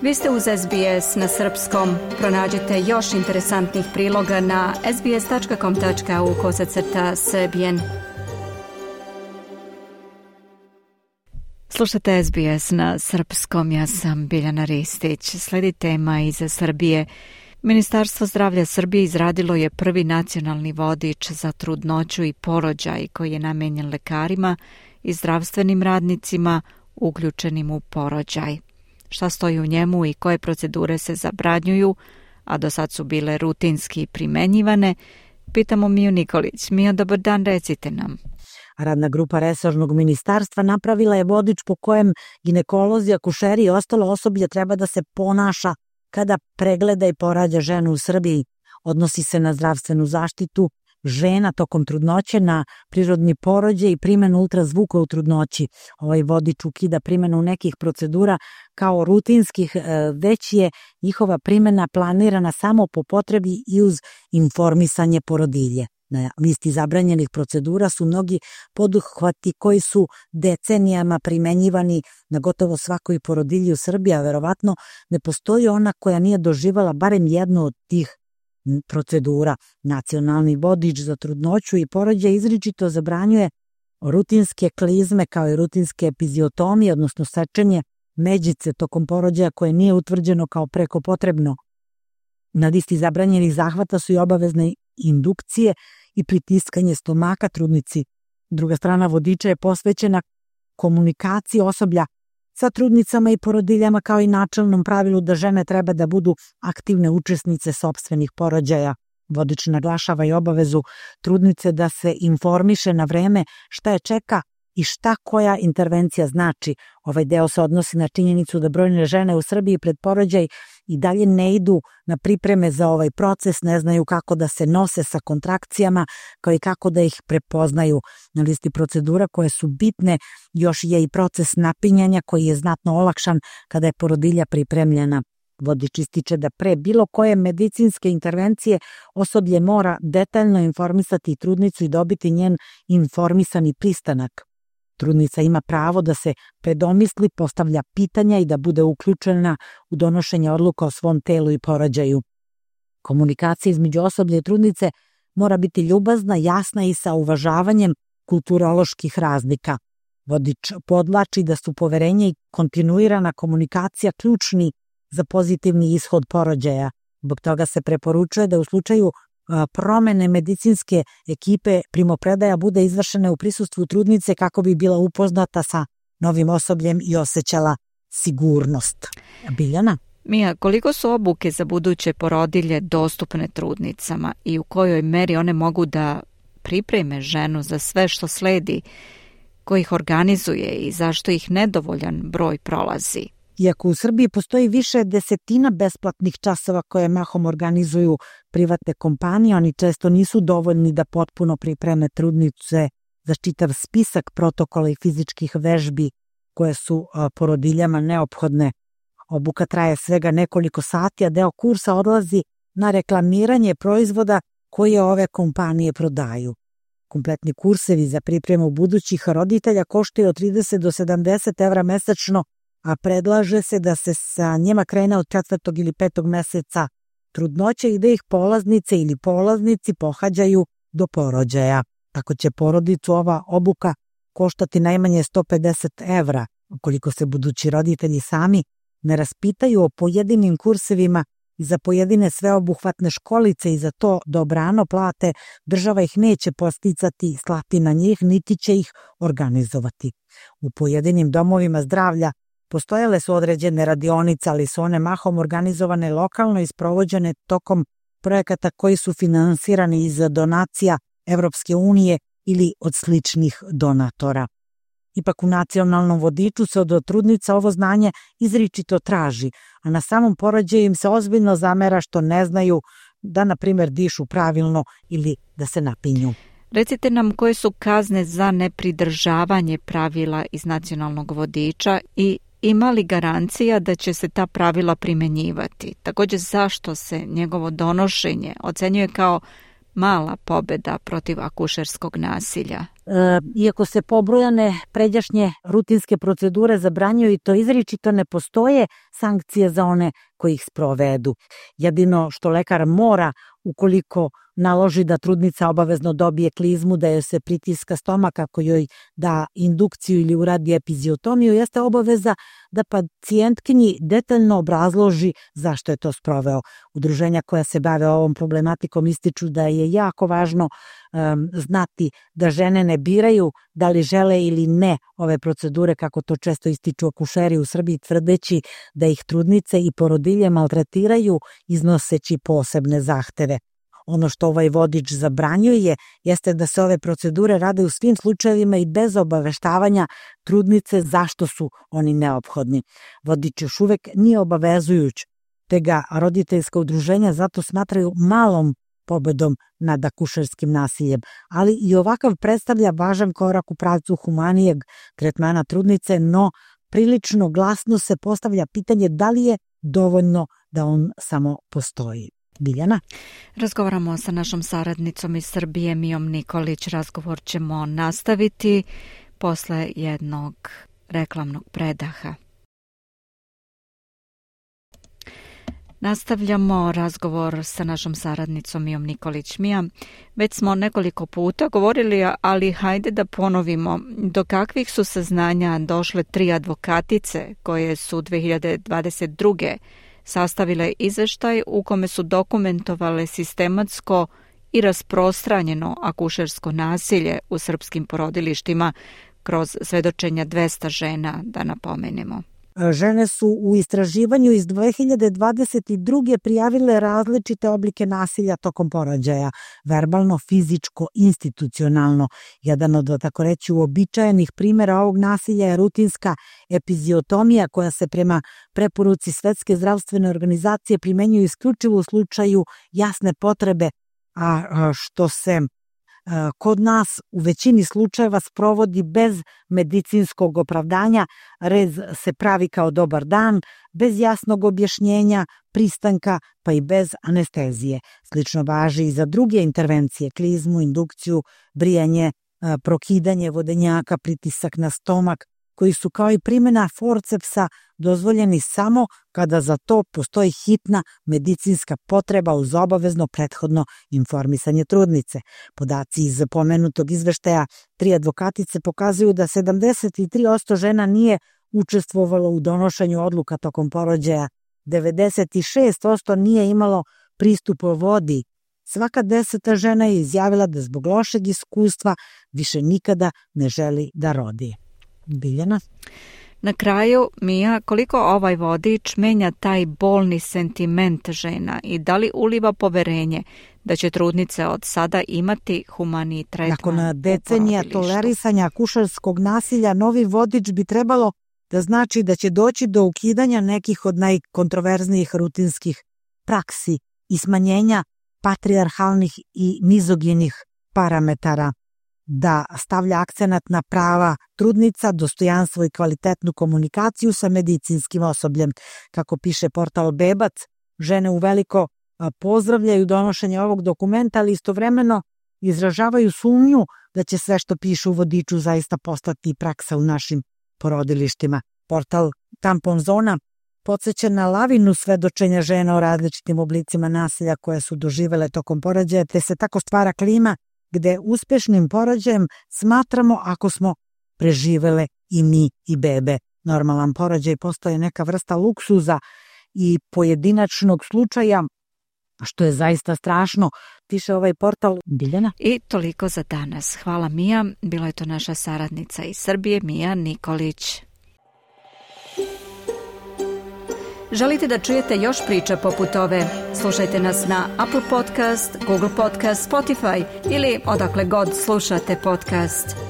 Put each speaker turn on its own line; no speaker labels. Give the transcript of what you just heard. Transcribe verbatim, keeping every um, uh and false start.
Vi ste uz S B S na srpskom. Pronađite još interesantnih priloga na sbs.com.au kosacrta srbijen. Slušate S B S na srpskom, ja sam Biljana Ristić. Sledi tema iz Srbije. Ministarstvo zdravlja Srbije izradilo je prvi nacionalni vodič za trudnoću i porođaj koji je namenjen lekarima i zdravstvenim radnicima uključenim u porođaj. Šta stoji u njemu i koje procedure se zabranjuju, a do sad su bile rutinski primenjivane, pitamo Miju Nikolić. Mija, dobar dan, recite nam.
Radna grupa resornog ministarstva napravila je vodič po kojem ginekolozi, akušeri i ostalo osoblje treba da se ponaša kada pregleda i porađa ženu u Srbiji. Odnosi se na zdravstvenu zaštitu žena tokom trudnoće, na prirodni porođaj i primjenu ultrazvuka u trudnoći. Ovaj vodič ukida primjenu nekih procedura kao rutinskih, već je njihova primjena planirana samo po potrebi i uz informisanje porodilje. Na listi zabranjenih procedura su mnogi poduhvati koji su decenijama primenjivani na gotovo svakoj porodilji u Srbiji, a verovatno ne postoji ona koja nije doživala barem jednu od tih procedura. Nacionalni vodič za trudnoću i porođaj izričito zabranjuje rutinske klizme kao i rutinske epiziotomije, odnosno sečenje međice tokom porođaja koje nije utvrđeno kao preko potrebno. Na listi zabranjenih zahvata su i obavezne indukcije i pritiskanje stomaka trudnici. Druga strana vodiča je posvećena komunikaciji osoblja sa trudnicama i porodiljama kao i načelnom pravilu da žene treba da budu aktivne učesnice sopstvenih porođaja. Vodič naglašava i obavezu trudnice da se informiše na vreme šta je čeka i šta koja intervencija znači. Ovaj deo se odnosi na činjenicu da brojne žene u Srbiji pred porođaj i dalje ne idu na pripreme za ovaj proces, ne znaju kako da se nose sa kontrakcijama, kao i kako da ih prepoznaju. Na listi procedura koje su bitne još je i proces napinjanja koji je znatno olakšan kada je porodilja pripremljena. Vodič ističe da pre bilo koje medicinske intervencije osoblje mora detaljno informisati trudnicu i dobiti njen informisani pristanak. Trudnica ima pravo da se predomisli, postavlja pitanja i da bude uključena u donošenje odluka o svom telu i porođaju. Komunikacija između osoblja i trudnice mora biti ljubazna, jasna i sa uvažavanjem kulturoloških razlika. Vodič podlači da su poverenje i kontinuirana komunikacija ključni za pozitivni ishod porođaja. Zbog toga se preporučuje da u slučaju promene medicinske ekipe primopredaja bude izvršena u prisustvu trudnice kako bi bila upoznata sa novim osobljem i osjećala sigurnost. Biljana?
Mija, koliko su obuke za buduće porodilje dostupne trudnicama i u kojoj meri one mogu da pripreme ženu za sve što sledi, ko ih organizuje i zašto ih nedovoljan broj prolazi?
Iako u Srbiji postoji više desetina besplatnih časova koje mahom organizuju privatne kompanije, oni često nisu dovoljni da potpuno pripreme trudnice za čitav spisak protokola i fizičkih vežbi koje su porodiljama neophodne. Obuka traje svega nekoliko sati, a deo kursa odlazi na reklamiranje proizvoda koje ove kompanije prodaju. Kompletni kursevi za pripremu budućih roditelja koštaju od trideset do sedamdeset evra mesečno, a predlaže se da se sa njima krene od četvrtog ili petog meseca trudnoće i da ih polaznice ili polaznici pohađaju do porođaja. Tako će porodicu ova obuka koštati najmanje sto pedeset evra, ukoliko se budući roditelji sami ne raspitaju o pojedinim kursevima i za pojedine sveobuhvatne školice i za to dobrano plate, država ih neće posticati, slati na njih, niti će ih organizovati. U pojedinim domovima zdravlja postojale su određene radionice, ali su one mahom organizovane lokalno i sprovođene tokom projekata koji su finansirani iz donacija Evropske unije ili od sličnih donatora. Ipak u nacionalnom vodiču se od trudnica ovo znanje izričito traži, a na samom porođaju im se ozbiljno zamera što ne znaju da, na primjer, dišu pravilno ili da se napinju.
Recite nam koje su kazne za nepridržavanje pravila iz nacionalnog vodiča i ima li garancija da će se ta pravila primenjivati? Također, zašto se njegovo donošenje ocenjuje kao mala pobjeda protiv akušerskog nasilja?
iako se pobrojane pređašnje rutinske procedure zabranjuju i to izričito, ne postoje sankcije za one koji ih sprovedu. Jedino što lekar mora, ukoliko naloži da trudnica obavezno dobije klizmu, da joj se pritiska stomak, ako joj da indukciju ili uradi epiziotomiju, jeste obaveza da pacijentkinji detaljno obrazloži zašto je to sproveo. Udruženja koja se bave ovom problematikom ističu da je jako važno um, znati da žene ne biraju da li žele ili ne ove procedure, kako to često ističu akušeri u Srbiji, tvrdeći da ih trudnice i porodilje maltretiraju iznoseći posebne zahteve. Ono što ovaj vodič zabranjuje jeste da se ove procedure rade u svim slučajevima i bez obaveštavanja trudnice zašto su oni neophodni. Vodič još uvek nije obavezujuć, te ga roditeljska udruženja zato smatraju malom pobedom nad akušerskim nasiljem, ali i ovakav predstavlja važan korak u pravcu humanijeg tretmana trudnice, no prilično glasno se postavlja pitanje da li je dovoljno da on samo postoji. Biljana?
Razgovaramo sa našom saradnicom iz Srbije, Mijom Nikolić. Razgovor ćemo nastaviti posle jednog reklamnog predaha. Nastavljamo razgovor sa našom saradnicom Mijom Nikolić. Mija, već smo nekoliko puta govorili, ali hajde da ponovimo do kakvih su saznanja došle tri advokatice koje su dve hiljade dvadeset druge sastavile izveštaj u kome su dokumentovale sistematsko i rasprostranjeno akušersko nasilje u srpskim porodilištima kroz svedočenja dvesta žena, da napomenemo.
Žene su u istraživanju iz dve hiljade dvadeset druge prijavile različite oblike nasilja tokom porođaja, verbalno, fizičko, institucionalno. Jedan od, tako reći, uobičajenih primjera ovog nasilja je rutinska epiziotomija koja se prema preporuci Svetske zdravstvene organizacije primenjuje isključivo u slučaju jasne potrebe, a što se kod nas u većini slučajeva sprovodi bez medicinskog opravdanja. Rez se pravi kao dobar dan, bez jasnog objašnjenja, pristanka, pa i bez anestezije. Slično važi i za druge intervencije, klizmu, indukciju, brijanje, prokidanje vodenjaka, pritisak na stomak, koji su kao i primjena forcepsa dozvoljeni samo kada za to postoji hitna medicinska potreba uz obavezno prethodno informisanje trudnice. Podaci iz pomenutog izveštaja tri advokatice pokazuju da sedamdeset tri posto žena nije učestvovalo u donošenju odluka tokom porođaja, devedeset šest posto nije imalo pristup vodi. Svaka deseta žena je izjavila da zbog lošeg iskustva više nikada ne želi da rodi. Biljana?
Na kraju, Mija, koliko ovaj vodič menja taj bolni sentiment žena i da li uliva poverenje da će trudnice od sada imati humaniji tretman?
Nakon decenija tolerisanja akušerskog nasilja, novi vodič bi trebalo da znači da će doći do ukidanja nekih od najkontroverznijih rutinskih praksi i smanjenja patrijarhalnih i mizoginih parametara, da stavlja akcenat na prava trudnica, dostojanstvo i kvalitetnu komunikaciju sa medicinskim osobljem. Kako piše portal Bebac, žene uveliko pozdravljaju donošenje ovog dokumenta, ali istovremeno izražavaju sumnju da će sve što piše u vodiču zaista postati praksa u našim porodilištima. Portal Tampon Zona podsjeća na lavinu svedočenja žena o različitim oblicima nasilja koje su doživele tokom porođaja, te se tako stvara klima gde uspešnim porođajem smatramo ako smo preživele i mi i bebe. Normalan porođaj postaje neka vrsta luksuza i pojedinačnog slučaja, što je zaista strašno, piše ovaj portal. Biljana?
I toliko za danas. Hvala, Mija. Bila je to naša saradnica iz Srbije, Mija Nikolić. Želite da čujete još priča poput ove? Slušajte nas na Apple Podcast, Google Podcast, Spotify ili odakle god slušate podcast.